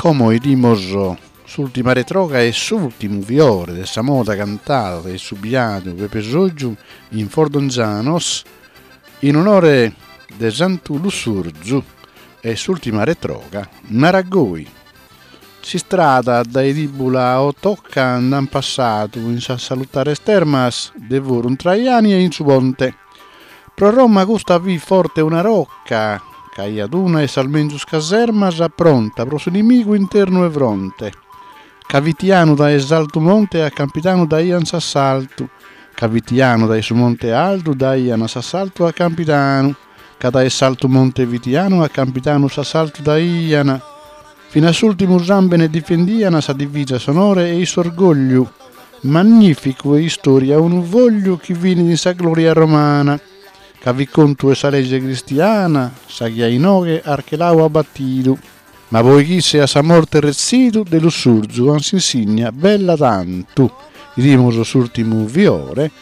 Como 'idimos s'ultima retroga e s'ultimu fiore de sa moda cantada dae su biadu Pepe Soggiu in Fordongianos in onore de Santu Lussurzu e s'ultima retroga narat goi. S'istrada dae Tibula a Othoca nd'an passadu in sas salutares termas de Forum Traiani e in su ponte. Pro Roma custa fit forte una rocca, ch'aiat una 'e sas menzus casermas pronta pro s'inimigu internu 'e fronte. Ca fitianu dae s'altu monte a Campidanu daian s'assaltu, ca fitianu dae su monte altu daian s'assaltu a Campidanu, ca dae s'altu monte fitianu a Campidanu s'assaltu daian. Fin'a s'ultimu sambene difendian sa divisa s'onore e i s'orgogliu, magnificu 'e istoria unu fogliu chi finit in sa gloria romana, ca fit contu 'e sa legge cristiana sa chi a inoghe Archelau at batidu. Ma poi ch'isse at sa morte retzidu de Lussurzu an s'insigna bella tantu, 'idimus s'urtimu fiore,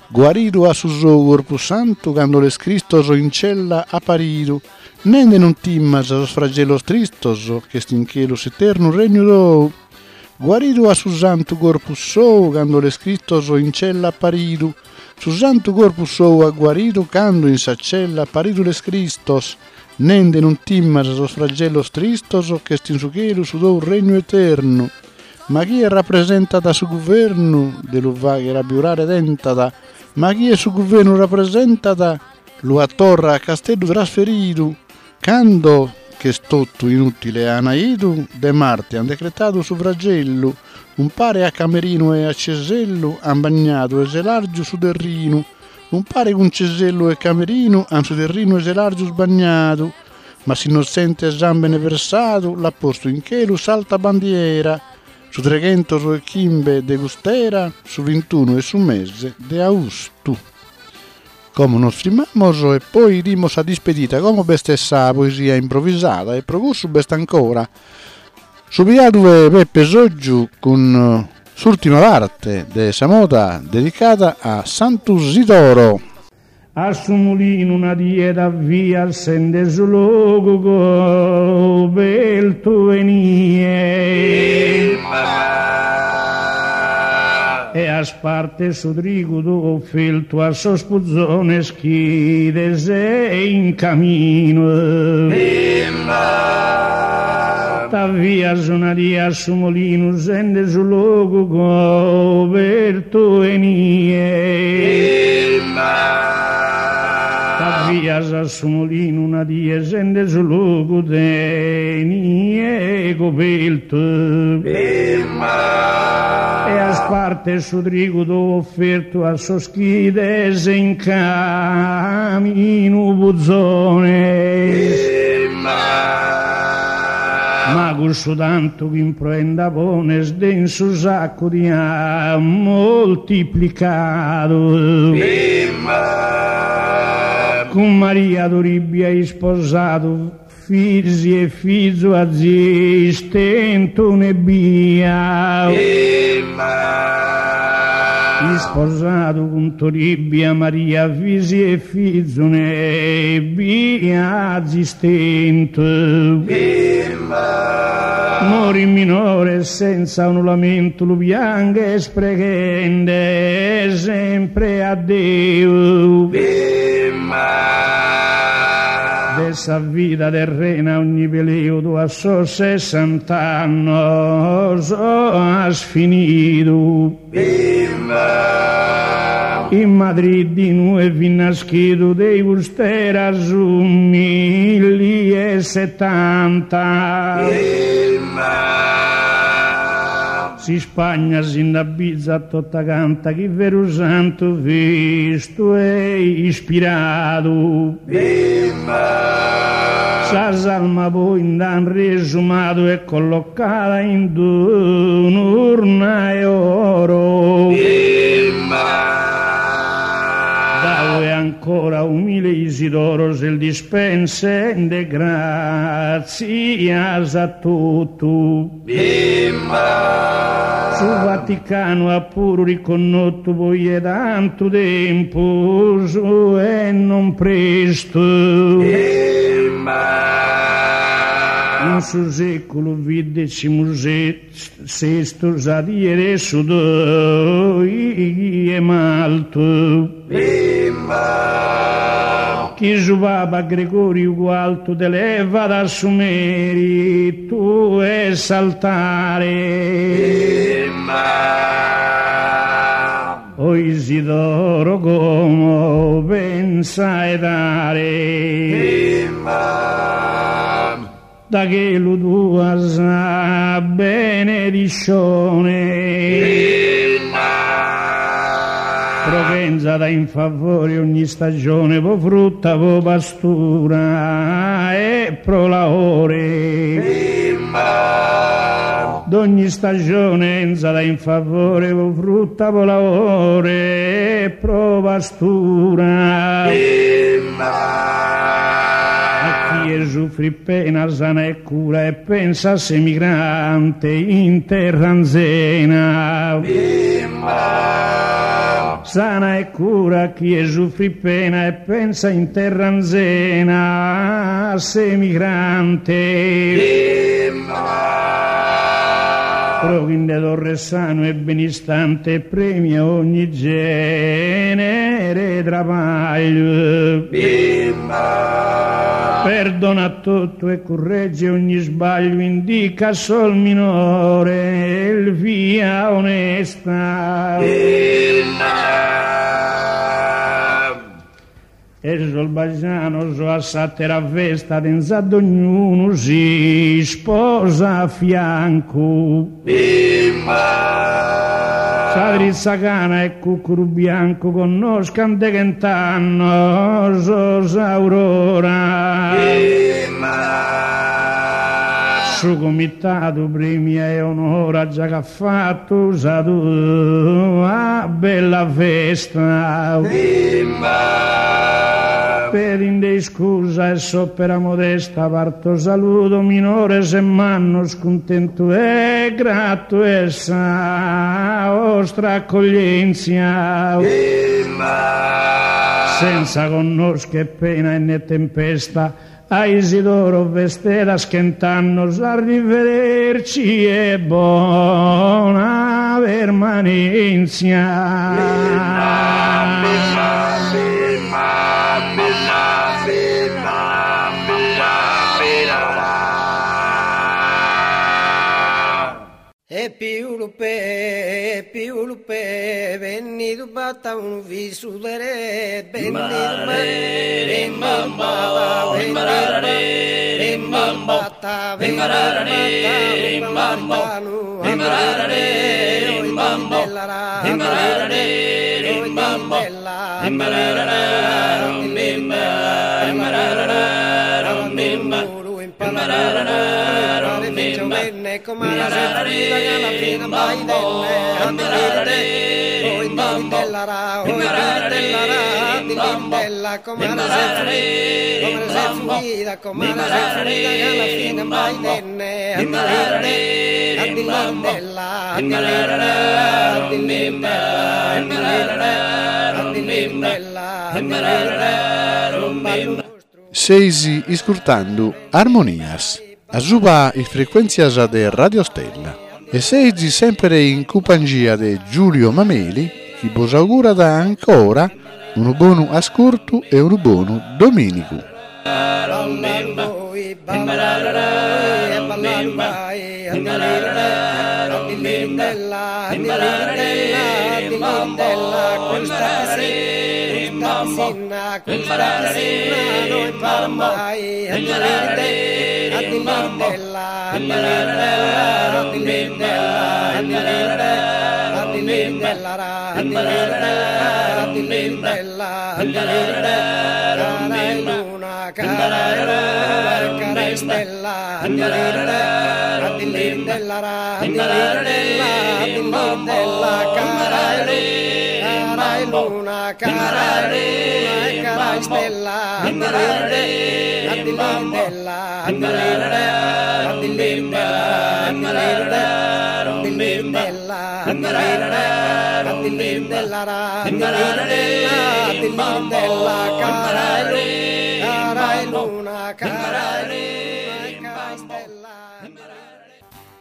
guaridu at su sou corpus santu cando l'est Cristos in cella aparidu, Nende non timas sos fragellos tristos ch'est in chelu s'eternu regnu tou. Guaridu at su santu corpus sou cando l'est Cristos in cella apparidu. Su santu corpus sou at guaridu cando in sa cella apparidu l'est Cristos. Nende non timas sos fragellos tristos ch'est in su chelu su tou regnu eternu. Ma chie rappresentat su guvernu de lu fagher abiurare tentat, ma chie su guvernu rappresentat Lu at torra a Casteddu trasferidu, cando ch'est totu inutile ana 'idu, de Marte an decretadu su fragellu, umpare a Camerinu e a Cesellu an bagnadu 'e Selargiu su terrinu, umpare cun Cesellu e Camerinu an su terrinu 'e Selargius bagnadu, ma s'innotzente sambene versadu l'at postu in chelu s'alta bandiera, su treghentos e chimbe de cust'era, su vintunu 'e su mese de austu. Como nos frimmamos e poi 'idimos sa dispedida, como b'est sa poesia improvisada e pro cussu b'est ancora su biadu 'e Peppe Soggiu cun s'urtima parte de sa moda dedicada a Santu Sidoro. A su mulinu una die t'avvias sende su logu cobertu 'e nie. E as parte su trigu tou offertu a sos puzones chi ides in caminu. T'avvias una die a su molinu sende su logu cobertu 'e nie. T'avvias a su molinu una die sende su logu de nie cobertu. E as parte su trigu tou offertu a sos chi ides in caminu puzones. Ma cussu tantu chi in proenda pones Deu in su saccu ti at moltiplicadu. Cun Maria Toribia isposadu Fizi e fizu azis tentu un'ebbia. Isposadu cun Toribia Maria fizi e fizu un'ebbia azis tentu. Morit minore senza unu lamentu lu pianghes preghende sempre a Deu. De sa vida terrena ogni peleu tue a sos sessant'annos as finidu. In Madrid inue fit naschidu de cust'era su milli e setanta. S'Ispagna si nd'abbizat tota canta chi veru santu fis tue ispiradu. Sa salma poi nd'an riesumadu e collocada in d'un'urna 'e oro. Dae ancora umile Isidoro s'est dispensende gratzias a totu. Su Vaticanu at puru riconnotu poi 'e tantu tempus e non prestu. In su seculu fit decimu sestu sa die de su doighi 'e maltu. Chi su Paba Gregoriu Cualtu t'elevat a su meritu 'e s'altare. O Isidoro como pensa 'e dare. Da chelu tua sa benediscione. Pro ch'enzat in favore ogni istagione pro frutta, pro pastura e pro laore. Dogni istagione 'enzat in favore pro frutta, pro laore e pro pastura. A chie sufrit pena sana e cura e pensa a s'emigrante in terra anzena. Sana e cura a chie sufrit pena e pensa in terra anzena a s'emigrante. Pro chi nde torret sanu e benistante e premia ogni genere 'e trabagliu. Perdona totu e curregge ogni isbagliu indica a sos minores via onesta. E sos bajanos a s'àtera festa tenzat dognunu s'isposa a fiancu. Sa tritza cana e cucuru biancu connoscan de chent'annos s'aurora. Su comitadu premia e onora già ch'at fatu sa tua bella festa. Pedinde iscusa 'e s'opera modesta parto saludo minores e mannos cuntentu e gratu 'e sa 'ostra accoglienzia. Senza connoscher pena e ne tempesta A Isidoro festedas chent'annos arrivederci e bona permanentzia. E piulu pe, piulu pe, bennidu b'at unu fizu de re, bennidu b'at, bennidu b'at, bennidu b'at unu maritanu, Seis iscurtando Armonias, asuba is frecuèntzias de Radio Stella e seis semper in cumpangia de Giulio Mameli chi bos augurat ancora unu bonu ascurtu e unu bonu domìnigu.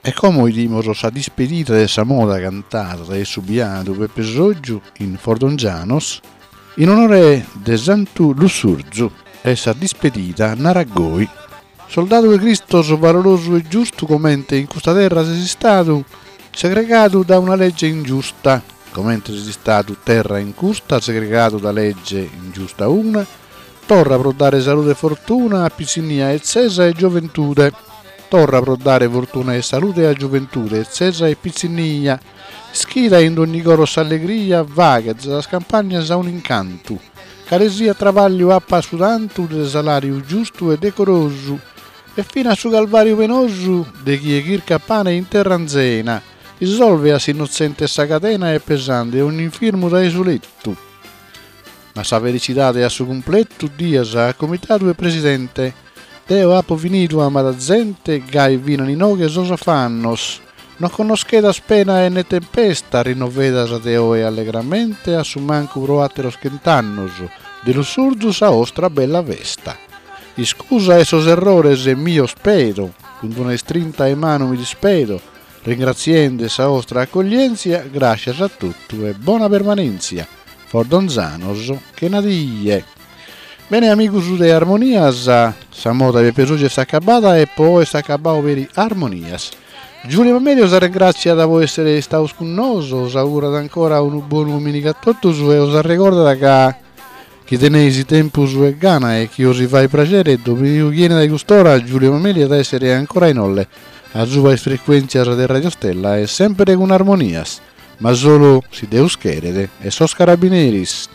E como 'idimos sa dispedida de sa moda cantada dae su biadu Peppe Soggiu in Fordongianos in onore de Santu Lussurzu e sa dispedida narat goi. Soldadu 'e Cristos valorosu e giustu comente in custa terra ses istadu segregadu da una legge ingiusta comente ses istadu terra in custa segregadu da legge ingiusta una Torra pro dare salude e fortuna a pitzinnia, 'etzesa e gioventude. Torra pro dare fortuna e salude a gioventude, 'etzesa e pitzinnia. Ischida in dogni coro s'allegria, faghe de sas campagnas un'incantu. Cale siat trabagliu apat su tantu de salariu giustu e decorosu. E finas su calvariu penosu de chie chircat pane in terra anzena. Isolve a s'innotzente sa cadena e pesande ogn'infirmu dae su lettu. Ma sa felicidade a su cumpletu dias a comitadu e presidente. Deo apo finidu amada zente gai finan inoghe sos afannos. No connoschedas pena e ne tempesta rinnovedas de oe allegramente a su mancu pro ateros chent'annos de Lussurzu sa 'ostra bella festa. Iscusa 'e sos errores mios pedo, cun d'una istrinta 'e manu mi dispedo, ringratziende sa 'ostra accoglientzia, grascias a totu e bona permanentzia. Fordonzanos chena die. Bene amigos de Armonias, sa moda 'e Peppe Soggiu est acabada e po oe est acabau peri Armonias. Giulio Mameli os arrengràtziat po èssere istados cun noso, os augurat ancora unu bonu domìnigu a totus e os arregordat ca chi teneis tempus e gana e chi os fait praxere, domìnigu chi 'enit a cust'ora Giulio Mameli at a èssere ancora inoghe asuba is frecuèntzias de Radio Stella e sèmpere cun Armonias. Ma solu si Deus cheret e sos carabineris.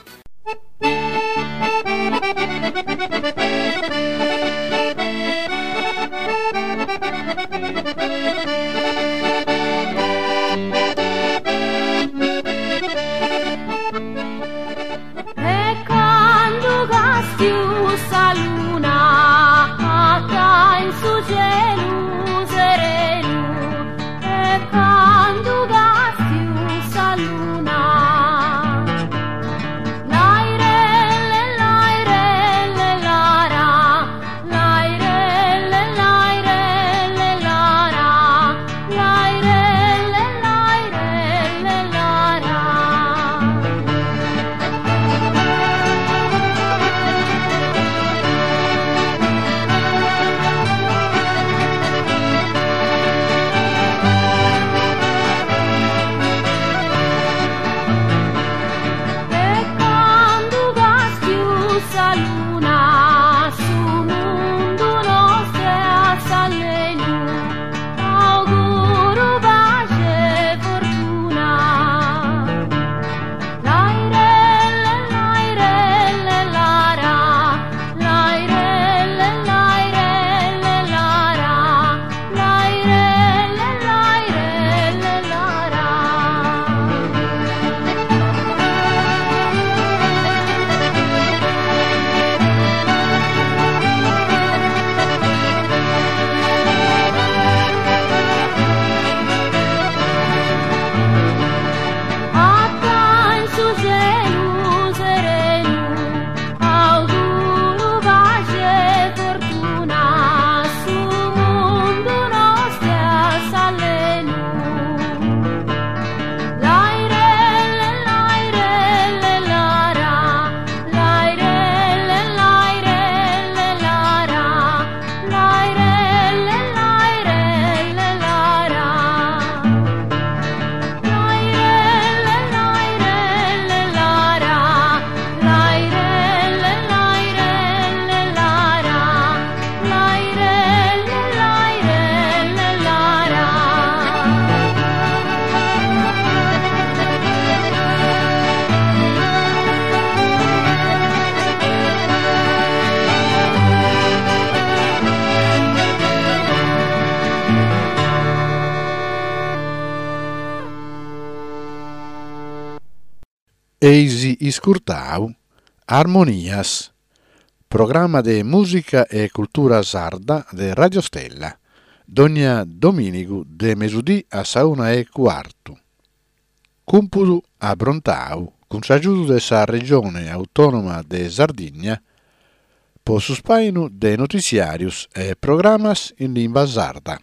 E candu castiu sa luna in su celu serenu E candu castiu sa luna Lairelle lairelle lara Lairelle lairelle lara Lairelle lairelle lara. E candu castiu sa luna su mundu nostru a s'allenu auguru paxi e fortuna. Lairelle lairelle lara Lairelle lairelle lara Lairelle lairelle lara. Acca in su celu serenu auguru paxi e fortuna su mundu nostru a s'allenu. Lairelle lairelle lara Lairelle lairelle lara Lairelle lairelle lara Lairelle lairelle lara Lairelle lairelle lara Lairelle lairelle lara. Eis iscurtau Armonias, programma de mùsica e cultura sarda de Radio Stella, dònnia domìnigu de mesudì a sa una e cuartu. Cumpudu abrontau cun s'agiudu de sa Regione Autònoma de Sardigna po su spàinu de notiziàrios e programas in limba sarda.